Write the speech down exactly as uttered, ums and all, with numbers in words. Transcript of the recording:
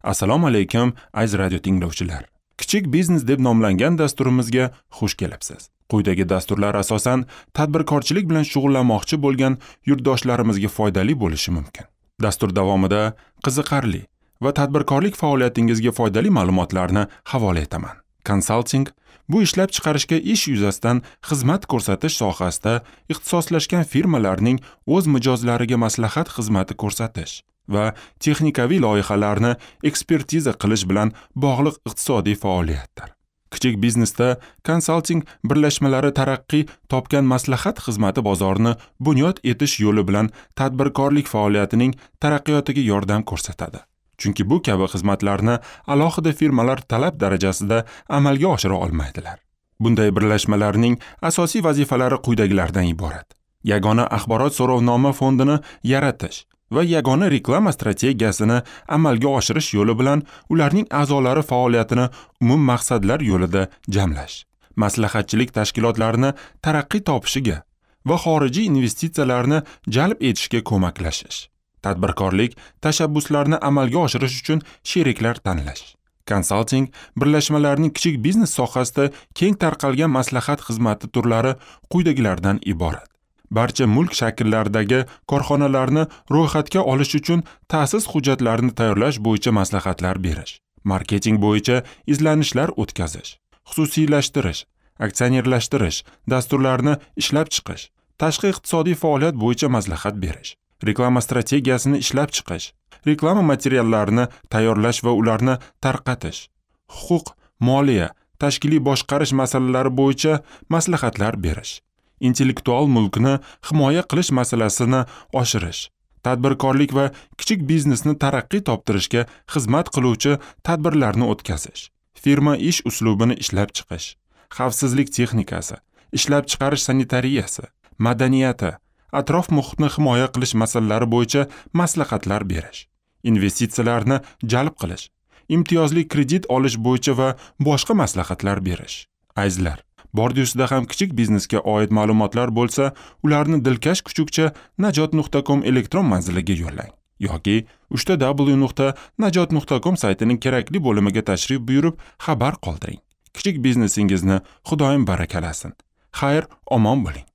Assalomu alaykum, aziz radio tinglovchilar. Kichik biznes deb nomlangan dasturimizga xush kelibsiz. Quyidagi dasturlar asosan tadbirkorchilik bilan shug'ullanmoqchi bo'lgan yurtdoshlarimizga foydali bo'lishi mumkin. Dastur davomida qiziqarli va tadbirkorlik faoliyatingizga foydali ma'lumotlarni havola etaman. Konsalting bu ishlab chiqarishga ish yuzasidan xizmat ko'rsatish sohasida ixtisoslashgan firmalarning o'z mijozlariga maslahat xizmati ko'rsatish va texnikaviy loyihalarni ekspertiza qilish bilan bog'liq iqtisodiy faoliyatdir. Kichik biznesda konsalting birlashmalari taraqqiy topgan maslahat xizmati bozorini bunyod etish yo'li bilan tadbirkorlik faoliyatining taraqqiyotiga yordam ko'rsatadi. Chunki bu kabi xizmatlarni alohida firmalar talab darajasida amalga oshira olmaydilar. Bunday birlashmalarning asosiy vazifalari quyidagilardan iborat. Yagona axborot so'rovnoma fondini yaratish va yagona reklama strategiyasini amalga oshirish yo'li bilan ularning a'zolari faoliyatini umum maqsadlar yo'lida jamlash, maslahatchilik tashkilotlarini taraqqiy topishiga va xorijiy investitsiyalarni jalb etishga ko'maklashish, tadbirkorlik tashabbuslarini amalga oshirish uchun sheriklar tanlash. Konsalting birlashmalarining kichik biznes sohasida keng tarqalgan maslahat xizmati turlari quyidagilardan iborat. Barcha mulk shakllaridagi korxonalarni ro'yxatga olish uchun ta'sis hujjatlarini tayyorlash bo'yicha maslahatlar berish, marketing bo'yicha izlanishlar o'tkazish, xususiylashtirish, aksionerlashtirish dasturlarini ishlab chiqish, tashqi iqtisodiy faoliyat bo'yicha maslahat berish, reklama strategiyasini ishlab chiqish, reklama materiallarini tayyorlash va ularni tarqatish, huquq, moliya, tashkiliy boshqarish masalalari bo'yicha maslahatlar berish, intellektual mulkni himoya qilish masalasini oshirish, tadbirkorlik va kichik biznesni taraqqiy toptirishga xizmat qiluvchi tadbirlarni o'tkazish, firma ish uslubini ishlab chiqish, xavfsizlik texnikasi, ishlab chiqarish sanitariyasi, madaniyati, atrof muhitni himoya qilish masalalari bo'yicha maslahatlar berish, investitsiyalarni jalb qilish, imtiyozli kredit olish bo'yicha va boshqa maslahatlar berish. Azizlar, bordi ustida ham kichik biznesga oid ma'lumotlar bo'lsa, ularni dilkash kuchukcha najot nuqta com elektron manziliga yo'llang yoki uchta w nuqta najot nuqta com saytining kerakli bo'limiga tashrif buyurib xabar qoldiring. Kichik biznesingizni Xudoyim barakalasin. Xayr, omon bo'ling.